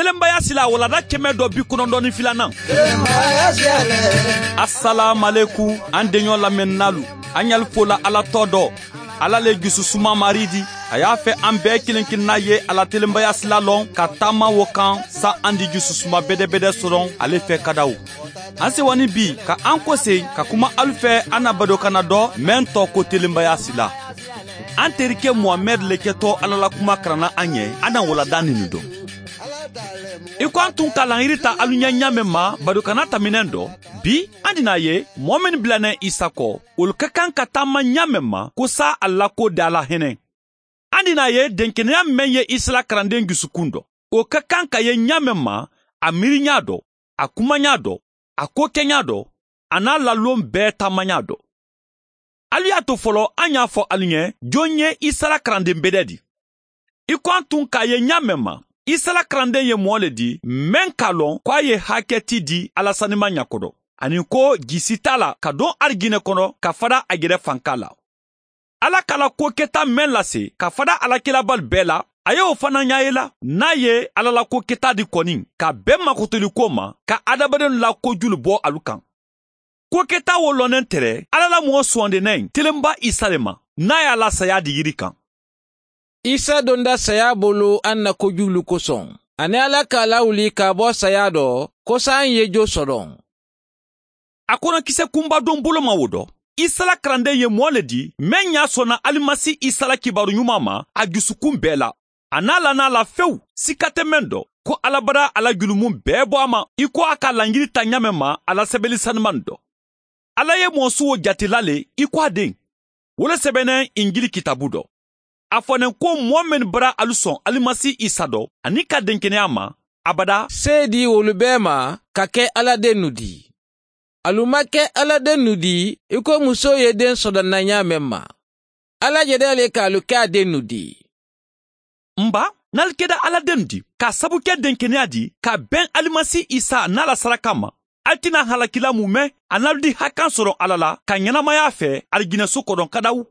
Telenbaya sila walada 192nan. Assalamu an denɲɔ lamɛnnalu, an y'al fola Ala tɔ dɔ. Ala le jususuma mari di. A y'a fɛ an bɛɛ kelen kelenna ye ala telenbaya sila lɔn ka taama wo kan sa an di jususuma bɛdɛbɛdɛ sɔrɔ ale fɛ kadaw. An sewani bi ka an kɔse ka kuma alu fɛ an na badokana dɔ mɛn tɔ ko telenbaya sila. An terikɛ Muhamɛd le kɛtɔ Ala la kuma karanna an ɲɛ, an na walada ninu dɔn. I ko an tun ka lahiri ta alu ɲɛ ɲa mɛn ma badokana taminɛn dɔ, bi an dina ye mɔɔ min bilanɛ Isa kɔ, olu ka kan ka taama ɲa mɛn ma ko sa a la ko da la hinɛ. An dina ye denkɛnɛya mɛn ye Isa la karanden dusukun dɔ, o ka kan ka ye ɲa mɛn ma a miiriɲa dɔ, a kumaɲa dɔ, a ko kɛɲa dɔ, a n'a lalon bɛɛ taamaɲa dɔ. Alu y'a to fɔlɔ an y'a fɔ alu ɲɛ jɔn ye Isa la karanden bɛdɛ di. I ko an tun k'a ye ɲa mɛn ma, Isa la karanden ye mɔɔ le di mɛn k'a lɔn k'a ye hakɛ ti di Ala sanima ɲakɔdɔ, ani ko jisi t'a la ka don arijinɛ kɔnɔ ka fada a yɛrɛ fanka la. Ala k'a la ko kɛta mɛn lase ka fada alakilabali bɛɛ la, a y'o fana ɲa ye la n'a ye Ala la ko kɛta di kɔni ka bɛn makotoli ko ma ka adamadenw la kojulu bɔ alu kan. Ko kɛta wo lɔnnen tɛrɛ Ala la mɔgɔ sɔndennɛ telenba Isa le ma n'a y'a la saya di yiri kan. Isa donda saya bolo an na kojulu kosɔn, ani Ala k'a lawuli ka bɔ saya dɔ ko sa an ye jo sɔrɔ. A kɔnɔkisɛ kunba don bolo ma wo dɔ. Isa la karanden ye mɔɔ le di mɛn y'a sɔnna Alimasi Isa la kibaru ɲuman ma a dusukun bɛɛ la. A n'a la n'a la fewu sika tɛ mɛn dɔ ko Ala bara ala julumun bɛɛ bɔ a ma i ko a ka lanjiri ta ɲa mɛn ma a la sɛbɛnni sanuman dɔ. Ala ye mɔɔ suwo jatela le i ko a den. Wo le sɛbɛnnɛ Injili kitabu dɔ. A fɔnen ko mɔɔ min bara alu sɔn Alimasi Isa dɔ ani ka denkɛnɛya ma abada se di olu bɛɛ ma ka kɛ Ala den nu di. Alu ma kɛ Ala den nu di i ko muso ye den sɔrɔ na ɲa mɛn ma. Ala yɛrɛ le k'alu kɛ a den nu di. Nba n'alu kɛra Ala den di k'a sabu kɛ denkɛnɛya di ka bɛn Alimasi Isa n'a la saraka ma, alu tɛna halakila mun mɛn a n'alu di hakan sɔrɔ Ala la ka ɲɛnamaya fɛ alijinɛso kɔnɔ kadaw.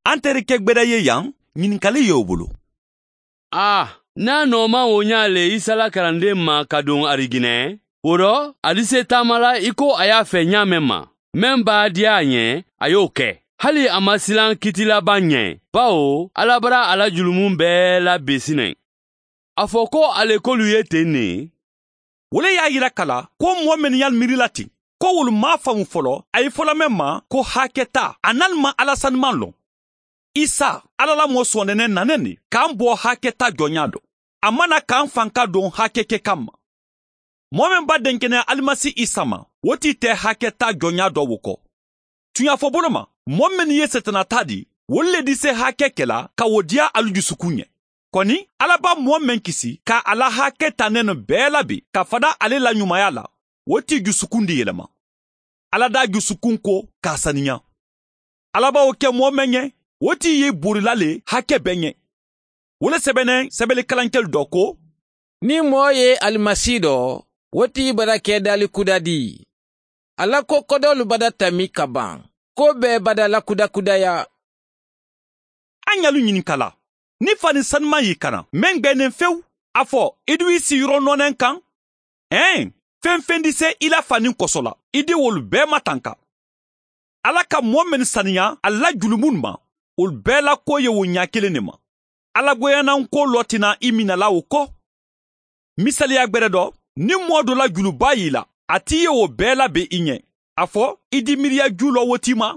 An terikɛ gbɛdɛ ye yan, ɲininkali y'o bolo. Ah, n'a nɔ ma o ɲa le Isa la karanden ma ka don arijinɛ, o rɔ ali se taama la i ko a y'a fɛ ɲa mɛn ma. Mɛn b'a diya a ɲɛ, a y'o kɛ. Hali a ma silan kitilaban ɲɛ, bawo Ala bara a la julumun bɛɛ labesinɛ. A fɔ ko ale k'olu ye ten ne. Wo le y'a yira kala ko mɔɔ minnu y'al miiri la ten, ko wolu m'a faamu fɔlɔ, a ye fɔlɔ mɛn ma ko hakɛ ta, a n'al ma Ala sanuman lɔn. Isa, Ala la mɔɔ sɔndɛnɛ nanen de k'an bɔ hakɛ ta jɔnya dɔ. A mana k'an fanka don hakɛ kɛ kama. Mɔɔ min ba denkɛnɛ Alimasi Isa ma, o t'i tɛ hakɛ ta jɔnya dɔ wo kɔ. Tuɲafɔ bolo ma, mɔɔ min ye setana ta di, olu le di se hakɛ kɛla ka o diya alu dusukun ɲɛ. Kɔni, Ala b'a mɔɔ min kisi ka ala hakɛ ta nɛnɛ bɛɛ labi ka fada ale la ɲumanya la, o t'i dusukun di yɛlɛma. Ala da dusukun ko k'a saniya. Ala b'o kɛ mɔɔ min ɲɛ, o t'i ye borila le hakɛ bɛɛ ɲɛ. O le sɛbɛnnɛ sɛbɛnni kalankɛli dɔ ko, ni mɔɔ ye Alimasi dɔ, o t'i bara kɛ dali kuda di. Ala ko kɔdɔlu bada tami ka ban, ko bɛɛ bada lakudakudaya. An y'alu ɲininka la, ni fani sanuman y'i kana, mɛn gbɛnnen fewu, a fɔ i du i sigiyɔrɔ nɔnɛ kan? Ɛn, fɛn fɛn di se i la fani kɔsɔ la, i di wolu bɛɛ matanka. Ala ka mɔɔ min saniya a la julumun ma, olu bɛɛ la ko ye o ɲa kelen de ma. Ala goyannan ko lɔ tɛna i minɛ la o kɔ. Misaliya gbɛrɛ dɔ, ni mɔɔ dɔ la juluba y'i la, a t'i ye o bɛɛ labɛn i ɲɛ. A fɔ i di miiriya ju lɔ wo t'i ma?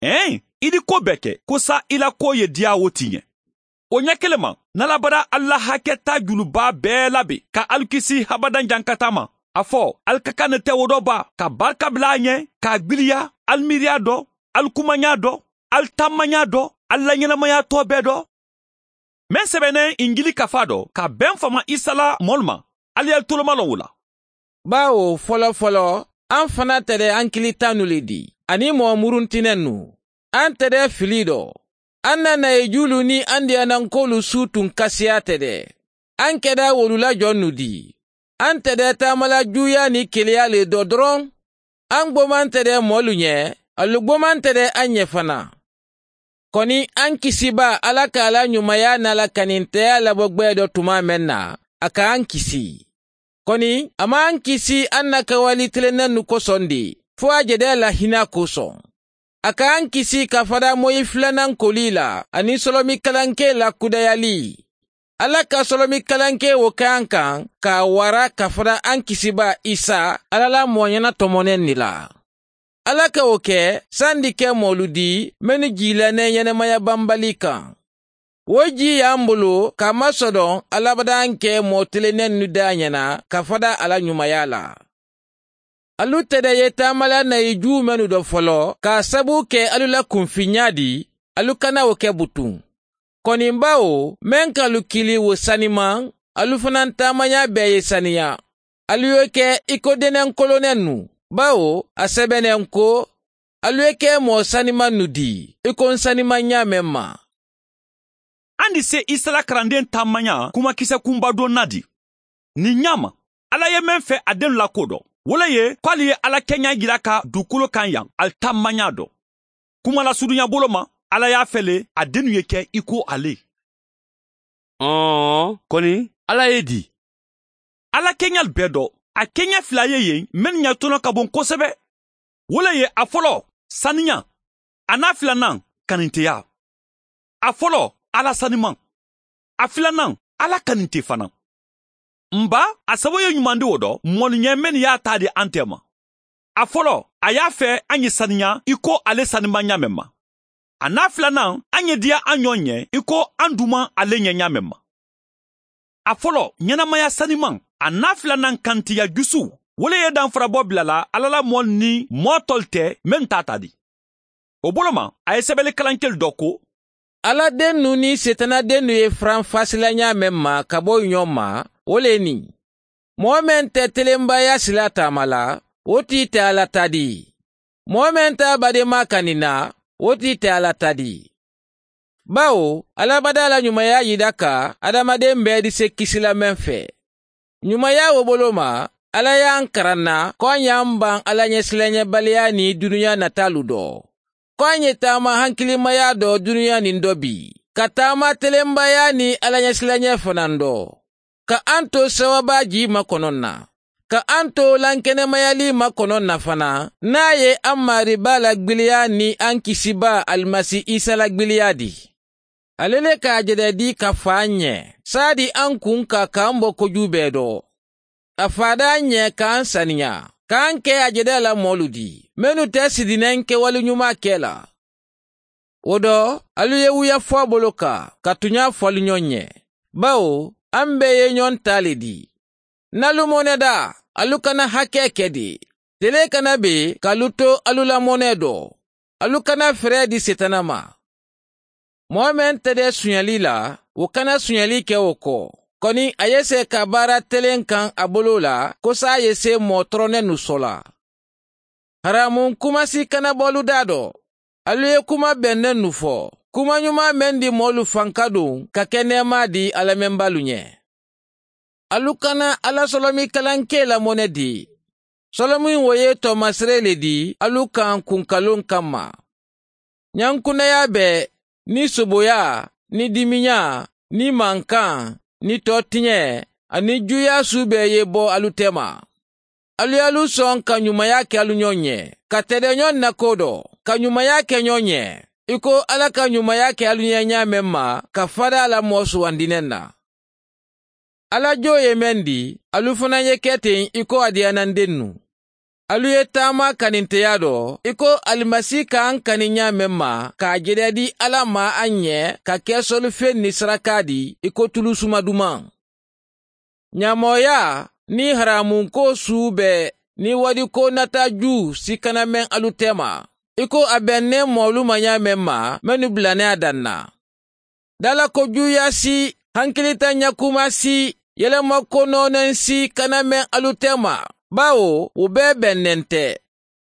Ɛn, i di ko bɛɛ kɛ ko sa i la ko ye diya wo t'i ɲɛ. O ɲɛ kelen ma, n'Ala bara Ala hakɛ ta juluba bɛɛ labɛn ka alu kisi habadan jankata ma. A fɔ alu ka kan ne tɛ wo dɔ ba ka barika bila a ɲɛ, k'a gbiliya, alu miiriya dɔ, alu kumaɲa dɔ, alu taamaɲa dɔ, alu la ɲɛnamaya tɔ bɛɛ dɔ. Mɛn sɛbɛnnɛ Injili kafa dɔ ka bɛn fama Isa la mɔlu ma, alu y'alu toloma lɔn o la. Bawo fɔlɔ fɔlɔ, an fana tɛrɛ an kilita nu le di, ani mɔgɔ muruntinɛ nu. An tɛrɛ fili dɔ. An nana ye julu ni an diyanankolu su tun kasiya tɛrɛ. An kɛra wolu la jɔn nu di. An tɛrɛ taamala juya ni keleya le dɔ dɔrɔn. An gboman tɛrɛ mɔlu ɲɛ, alu gboman tɛrɛ an ɲɛ fana. Kɔni an kisiba Ala k'a la ɲumanya n'a la kanintɛya labɔ gwɛ dɔ tuma mɛn na, a k'an kisi. Kɔni a m'an kisi an na kɛwali tilennen nu kosɔn de, fo a jɛdɛ la hinɛ kosɔn. A k'an kisi ka fara moyi filanan koli la ani sɔlɔmi kalanke la kudayali. Ala ka sɔlɔmi kalanke o k'an kan k'a wara ka fara an kisiba Isa Ala la mɔɲɛna tɔmɔnɛ ni la. Ala ka o kɛ san di kɛ mɔlu di minnu jilannen ɲɛnɛmaya banbali kan. O ji y'an bolo k'a masɔdɔn alabadan kɛ mɔɔ tilennen nu da ɲɛna ka fada ala ɲumanya la. Alu tɛdɛ ye taamala na ye ju minnu dɔ fɔlɔ k'a sabu kɛ alu la kunfinya di, alu kana o kɛ butun. Kɔni bawo mɛn k'alu kili wo saniman, alu fana taamaya bɛɛ ye saniya. Alu ye kɛ i ko denɛ kolonnen nu. Bawo a sɛbɛnnen ko alu ye kɛ mɔɔ saniman nu di, i ko n saniman ɲa mɛn ma. An di se Isa la karanden taamanya kumakisɛ kunba dɔ na di. Nin ɲa ma, Ala ye mɛn fɛ a den la ko dɔ. Wole ye k'ale ye Ala kɛɲa jira ka dugukolo kan yan, ali taamanya dɔ. Kuma la surunya bolo ma, Ala y'a fɛ le a dennu ye kɛ i ko ale. Kɔni Ala ye di. Ala kɛɲa bɛɛ dɔ. A kɛɲɛ fila ye yen minnu ɲɛ tɔnɔ ka bon kosɛbɛ. Wole ye a fɔlɔ saniya, a n'a filanan kaninteya. A fɔlɔ Ala saniman, a filanan Ala kaninte fana. Nba a sabu ye ɲuman di o dɔ mɔniɲɛ minnu y'a ta di an tɛ ma. A fɔlɔ a y'a fɛ an ye saniya i ko ale saniman ɲa mɛn ma. A n'a filanan an ye diya an ɲɔgɔn ɲɛ i ko an duman ale ɲɛ ɲa mɛn ma. A fɔlɔ ɲɛnamaya saniman, a n'a filanan kantiya jusu, wole ye danfarabɔ bila la Ala la mɔ ni mɔ tɔl tɛ min t'a ta di. O bolo ma a ye sɛbɛnni kalankɛli dɔ ko Ala den nu ni setana den nu ye faranfasilaɲa mɛn ma ka bɔ ɲɔgɔn ma, o le nin. Mɔgɔ mɛn tɛ telenbaya sila taama la, o t'i tɛ Ala ta di. Mɔgɔ mɛn t'a badenma kanina, o t'i tɛ Ala ta di. Bawo alabada la ɲumanya yida ka adamaden bɛɛ di se kisila mɛn fɛ. Ɲumanya o bolo ma, Ala y'an karanna ko an y'an ban Ala ɲɛsilanɲɛbaliya ni dunuya natalu dɔ. Ko an ye taama hankilimaya dɔ dunuya nin dɔ bi, ka taama telenbaya ni Ala ɲɛsilanɲɛ fana dɔ. Ka an to sawaba ji makɔnɔ na. Ka an to lankɛnɛmayali makɔnɔ na fana, n'a ye an mariba la gwiliya ni an kisiba Alimasi Isa la gwiliya di. Ale le k'a jɛdɛ di ka fa ɲɛ, sadi an kun ka k'an bɔ koju bɛɛ dɔ. A fada ɲɛ k'an saniya, k'an kɛ a jɛdɛ la mɔlu di, minnu tɛ sidinɛ kɛwale ɲuman kɛ la. O dɔ, alu ye wuya fɔ a bolo kan, ka tunya fɔli ɲɔgɔn ɲɛ. Bawo, an bɛɛ ye ɲɔgɔn ta le di. N'alu mɔnɛ da, alu kana hakɛ kɛ de. Tele kana be k'alu to alu la mɔnɛ dɔ. Alu kana fɛrɛ di setana ma. Mɔgɔ mɛn tɛ dɛ sunyali la, o kana sunyali kɛ o kɔ. Kɔni a ye se ka baara telen kan a bolo la, ko s'a ye se mɔɔ tɔrɔnɛ nu sɔ la. Haramu kumasi kana bɔlu da dɔ. Alu ye kuma bɛnnen nu fɔ. Kuma ɲuman mɛn di mɔɔlu fanka don ka kɛ nɛɛma di alamɛnbalu ɲɛ. Alu kana Ala sɔlɔmi kalanke la mɔnɛ di. Sɔlɔmi wo ye tɔmasere le di alu kan kunkalon kama. Ɲankunnaya bɛɛ ni soboya, ni diminya, ni mankan, ni tɔtiɲɛ, ani juya su bɛɛ ye bɔ alu tɛma. Alu y'alu sɔn ka ɲumanya kɛ alu ɲɔgɔn ɲɛ, ka tɛdɛ ɲɔgɔn na ko dɔ, ka ɲumanya kɛ ɲɔgɔn ɲɛ, i ko Ala ka ɲumanya kɛ alu ɲɛ ɲa mɛn ma, ka fada la mɔɔ sugandinɛ na. Ala jo ye mɛn di, alu fana ye kɛ ten i ko a diyananden nu. Alu ye taama kaninteya dɔ, i ko Alimasi k'an kani ɲa mɛn ma, k'a jɛdɛ di Ala ma an ɲɛ, ka kɛ sɔlifɛn ni saraka di, i ko tulu suma duman. Ɲamɔya ni haramunko su bɛɛ, ni wadiko nata ju si kana mɛn alu tɛma, i ko a bɛnnen mɔlu ma ɲa mɛn ma, mɛnnu bilanɛ a dan na. Dalako juya si, hankilita ɲakuma si, yɛlɛmako nɔɔnɛn si kana mɛn alu tɛma, bawo u bɛɛ bɛnnen tɛ.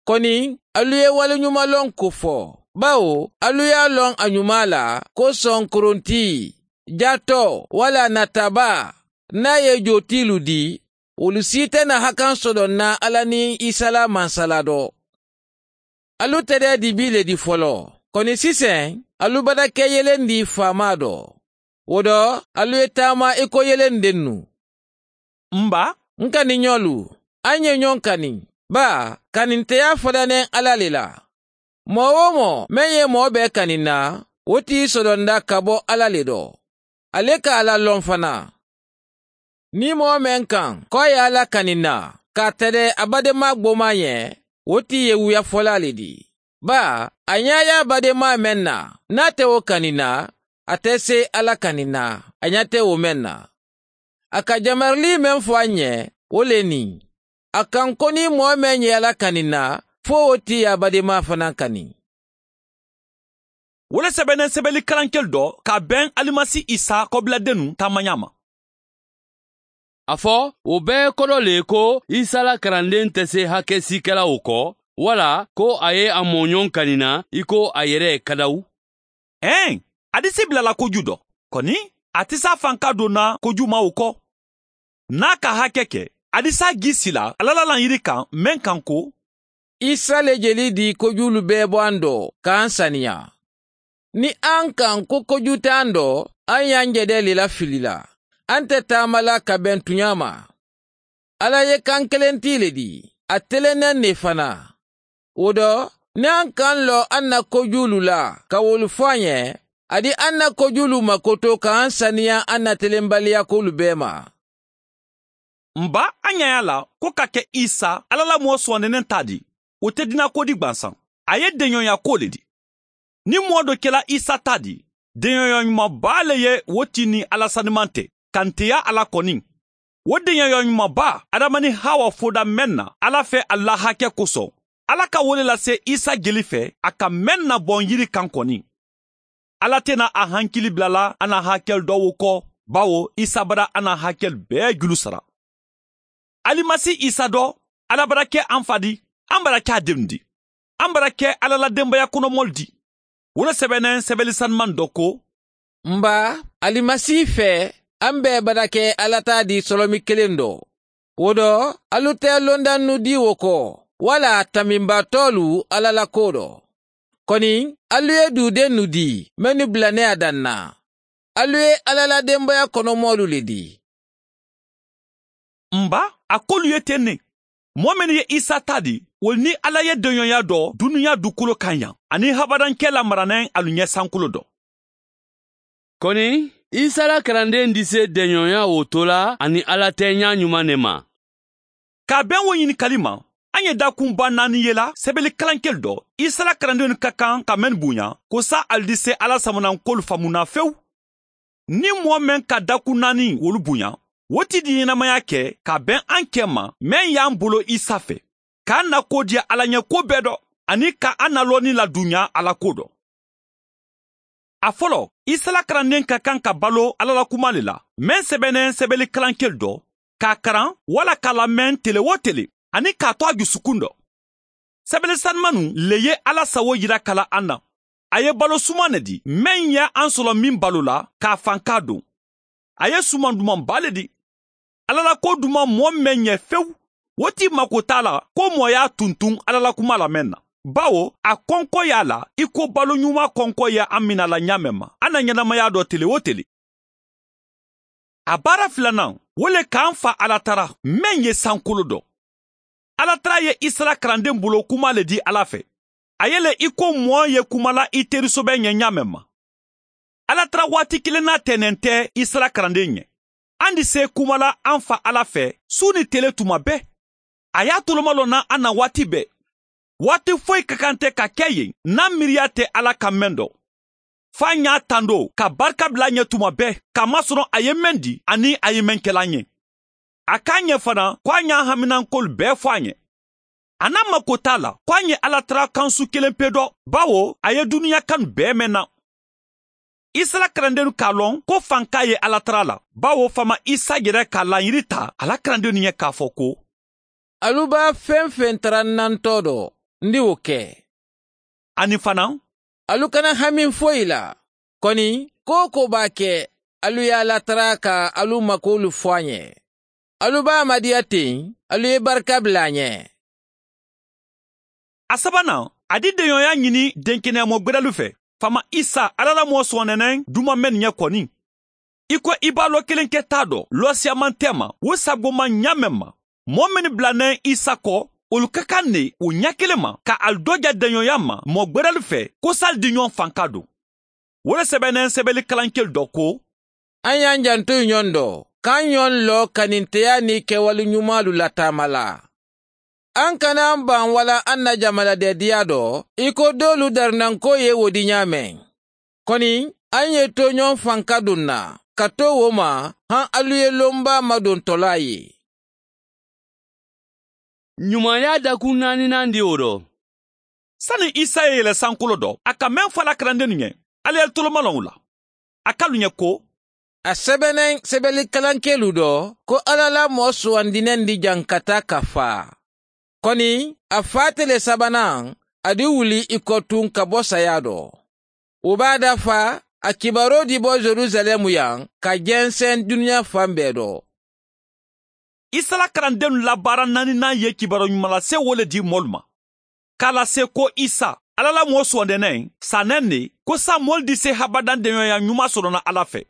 Kɔni alu ye waleɲumanlɔn ko fɔ, bawo alu y'a lɔn a ɲuman la ko sɔn koronti, jatɔ wala nataba n'a ye jotilu di, olu si tɛna hakan sɔrɔ na Ala ni Isa la mansala dɔ. Alu tɛ dɛ dibi le di fɔlɔ. Kɔni sisan, Alu bada kɛ yelen di faama dɔ. O dɔ, alu ye taama i ko yelen dennu. N ba, N kaniɲɔlu, an ye ɲɔgɔn kani. Ba, kaninteya fɔdanen Ala le la. Mɔɔ o mɔɔ mɛn ye mɔɔ bɛɛ kanin na, o t'i sɔdɔnda ka bɔ Ala le dɔ. Ale ka Ala lɔn fana. Ni mɔɔ mɛn kan k'a ye Ala kanin na, k'a tɛrɛ a badenma gboma ɲɛ, o t'i ye wuyafɔla le di. Ba, a ɲɛ y'a badenma mɛn na, n'a tɛ o kanin na, a tɛ se Ala kanin na, a ɲɛ tɛ o mɛn na. A ka jamarili mɛn fɔ an ɲɛ, o le nin. A kan ko ni mɔɔ mɛn ye Ala kanin na, fo o t'i a badenma fana kani. Wo le sɛbɛnnen sɛbɛnni kalankɛli dɔ ka bɛn Alimasi Isa kɔbiladennu taamanya ma. A fɔ o bɛɛ kɔrɔ le ko Isa la karanden tɛ se hakɛ si kɛla o kɔ, wala ko a ye a mɔɲɔgɔn kanina i ko a yɛrɛ kadawu. Ɛn, a di se bilala koju dɔ. Kɔni, a tɛ s'a fanka donna koju ma o kɔ. N'a ka hakɛ kɛ, a di s'a gi sila Ala la yiri kan mɛn kan ko Isa le jeli di kojulu bɛɛ bɔ an dɔ k'an saniya. Ni an kan ko koju t'an dɔ, an y'an jɛdɛ le la fili la. An tɛ taama la ka bɛn tuɲa ma. Ala ye kan kelen ti le di, a telennen ne fana. O dɔ, ni an kan lɔ an na kojulu la ka wolu fɔ an ɲɛ, a di an na kojulu makoto k'an saniya an na telenbaliya kolu bɛɛ ma. N ba, an ɲɛ la ko ka kɛ Isa Ala la mɔɔ sɔnnenen ta di, o tɛ dina ko di gwansan. A ye denɲɔgɔnya ko le di. Ni mɔɔ dɔ kɛla Isa ta di, denɲɔgɔnya ɲumanba le ye wo ti ni Ala saniman tɛ, kanteya Ala kɔni. O denɲɔgɔnya ɲumanba Adama ni Hawa foda mɛn na Ala fɛ a la hakɛ kosɔn. Ala ka wele lase Isa jeli fɛ a ka mɛn na bɔn yiri kan kɔni. Ala tɛna a hankili bilala an na hakɛ dɔw kɔ, bawo Isa bara an na hakɛ bɛɛ julu sara. Alimasi Isa dɔ, Ala bara kɛ an fa di, an bara kɛ a denw di. An bara kɛ Ala la denbaya kɔnɔmɔli di. Wo le sɛbɛnnen sɛbɛnni sanuman dɔ ko, N ba, Alimasi fɛ, an bɛɛ bara kɛ Ala ta di sɔlɔmi kelen dɔ. O dɔ, alu tɛ londannu di o kɔ, wala taminbatɔlu Ala la ko dɔ. Kɔni, alu ye dudennu di, minnu bilanɛ a dan na. Alu ye Ala la denbaya kɔnɔmɔlu le di. N ba, a k'olu ye ten ne. Mɔɔ minnu ye Isa ta di, olu ni Ala ye denɲɔgɔnya dɔ dunuya dukolo kan yan, ani habadankɛ lamaranen alu ɲɛ sankolo dɔ. Kɔni, Isa la karanden di se dɛɲɔgɔnya o to la ani Ala tɛ ɲa ɲuman ne ma. K'a bɛn o ɲininkali ma, an ye dakunba naani ye la sɛbɛnni kalankɛli dɔ, Isa la karandenw ka kan ka mɛn bonya, ko sa ali di se Ala samanakolu faamuna fewu. Ni mɔɔ mɛn ka dakun naani wolu bonya, wo ti di ɲɛnamaya kɛ ka bɛn an kɛ ma mɛn y'an bolo Isa fɛ, k'an na ko diya Ala ɲɛ ko bɛɛ dɔ, ani ka an na lɔnni ladunya Ala ko dɔ. A fɔlɔ, Isa la karanden ka kan ka balo Ala la kuma le la, mɛn sɛbɛnnen sɛbɛnni kalankɛli dɔ, k'a karan wala k'a lamɛn tele o tele, ani k'a to a dusukun dɔ. Sɛbɛnni sanumanu le ye Ala sago yira kala an na. A ye balo suman ne di, mɛn ye an sɔrɔ min balo la, k'a fan k'a don. A ye suman dumanba le di. Ala la ko duman mɔɔ mɛn ɲɛ fewu, o ti mako t'a la ko mɔɔ y'a tuntun Ala la kuma lamɛn na. Bawo a kɔnkɔ y'a la i ko balo ɲuman kɔnkɔ ye an mina la ɲa mɛn ma, an na ɲɛnamaya dɔ tele o tele. A baara filanan, o le k'an fa Ala tara mɛn ye sankolo dɔ. Ala tara ye Isa karanden bolo kuma le di Ala fɛ. A ye le i ko mɔɔ ye kuma la i terisobɛ ɲɛ ɲa mɛn ma. Ala tara waati kelen n'a tɛnɛn tɛ Isa karanden ɲɛ. An di se kuma la an fa Ala fɛ su ni tele tuma bɛɛ. A y'a toloma lɔ na an na waati bɛɛ. Waati foyi ka kan tɛ ka kɛ yen n'an miiriya tɛ Ala ka mɛn dɔ. F'an y'a tando ka barika bila ɲɛ tuma bɛɛ, k'a masɔrɔ a ye mɛn di ani a ye mɛn kɛla ɲɛ. A k'an ɲɛ fana ko an y'a haminankolu bɛɛ fɔ a ɲɛ. A n'a mako t'a la ko an ye Ala tara kansu kelen pe dɔ, bawo a ye dunuya kanu bɛɛ mɛn na. Isa la karandenw k'a lɔn ko fanka ye Ala tara la, bawo fama Isa yɛrɛ ka laɲini ta a la karandenw ɲɛ k'a fɔ ko, Alu b'a fɛn fɛn tara nantɔ dɔ, n di o kɛ. Ani fana, Alu kana hami foyi la. Kɔni, ko ko b'a kɛ, alu y'a latara ka alu makolu fɔ a ɲɛ. Alu b'a madiya ten, alu ye barika bila a ɲɛ. A sabanan, a di denɲɔgɔnya ɲini denkɛnɛyamɔ gbɛrɛlu fɛ. Fama Isa Ala la mɔɔ sɔnɛnɛ duma mɛn ɲɛ kɔni. I ko i b'a lɔ kelen kɛ t'a dɔ lɔsiyaman tɛ ma o sagoma ɲa mɛn ma. Mɔɔ minnu bilanɛ Isa kɔ olu ka kan ne o ɲɛ kelen ma ka ali dɔja dɛɲɔya ma mɔɔ gbɛrɛli fɛ ko sali di ɲɔgɔn fan ka don. O le sɛbɛnɛ sɛbɛnni kalankeli dɔ ko an y'an janto ɲɔgɔn dɔ k'an ɲɔgɔn lɔ kaninteya ni kɛwale ɲumanlu lataama la. An kana an ban wala an na jamanadɛdiya dɔ i ko dɔwlu darinanko ye wo di ɲa mɛn. Kɔni an ye to ɲɔgɔn fan ka don na ka to wo ma han alu ye lonba madontɔla ye. Ɲumanya dakun naaninan di o dɔ. Sani Isa ye yɛlɛ sankolo dɔ, a ka mɛn fɔ a la kalandenw ɲɛ, ale ye tolomalɔnw la. A k'alu ɲɛ ko a sɛbɛnɛ sɛbɛnni kalankɛlu dɔ ko Ala la mɔɔ sugandinɛn di jankata ka fa. Kɔni a fa tele sabanan a di wuli i kɔ tun ka bɔ saya dɔ. O b'a dafa a kibaro di bɔ Jerusalɛmu yan ka jɛnsɛn duniya fan bɛɛ dɔ. Isa la kalandenw la baara naaninan ye kibaro ɲuman lase wo le di mɔlu ma. K'a lase ko Isa Ala la mɔɔ sɔndɛnɛ sanɛ ne ko sa mɔlu di se habadan dɛɲɔya ɲuman sɔrɔ Ala fɛ.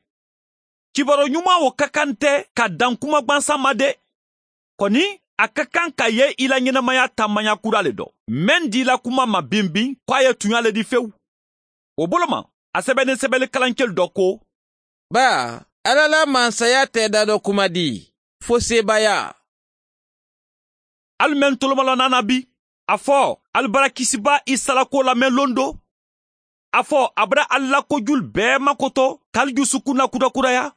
Kibaro ɲuman o ka kan tɛ ka dan kuma gwansan ma dɛ. Kɔni a ka kan ka ye i la ɲɛnamaya taamaya kura le dɔ. Mɛn di la kuma ma binbin k'a ye tunya le di fewu. O bolo ma a sɛbɛnni sɛbɛnni kalankɛli dɔ ko ba Ala la mansaya tɛ da dɔ kuma di fo sebaya. Ali mɛn tolomalɔ nana bi a fɔ alibara kisiba Isa la ko lamɛn londo. A fɔ a bara ali la kojulu bɛɛ makoto k'ali dusukun na kurakuraya.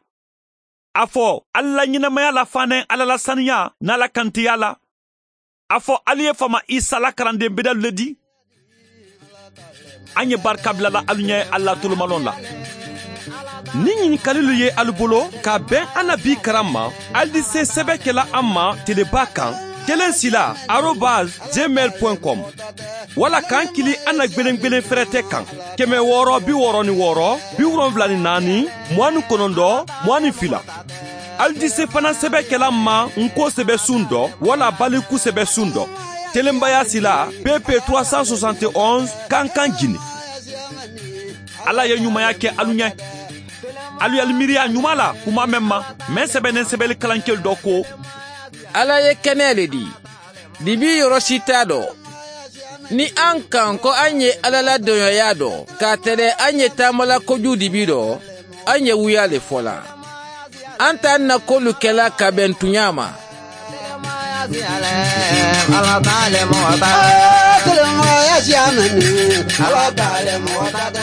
A fɔ ali la ɲɛnamaya la fanɛ Ala la saniya n'a la kantiya la. A fɔ ali ye fama Isa la kalanden bedelu le di. An ye barika bilala alu ɲɛ ali la tolomalɔn la. Ni ɲininkalilu ye alu bolo ka bɛn an na bi karan ma, ali di se sɛbɛn kɛla an ma teleba kan 16@gmail.com wala k'an kili an na gwelen fɛrɛtɛ kan 666 74 29 22. Ali di se fana sɛbɛn kɛla ma nko sɛbɛ sun dɔ wala baliku sɛbɛ sun dɔ. Telenbaya sila PP 371 Kankan Guinée. Ala ye ɲumanya kɛ alu ɲɛ. Alu y'ali miiriya ɲuman la kuma mɛn ma, mɛn sɛbɛnnen sɛbɛnni kalankɛli dɔ ko Ala ye kɛnɛ le di, dibi yɔrɔ si t'a dɔ. Ni an kan ko an ye Ala la dɔnyɔya dɔ, k'a tɛrɛ an ye taamala kojugu dibi dɔ, an ye wuya le fɔ la. An t'an na kolu kɛla ka bɛn tunya ma. Ala t'ale mɔgɔ ta, kelenmɔgɔya siya mɛn ni, Ala t'ale mɔgɔ ta dɛ.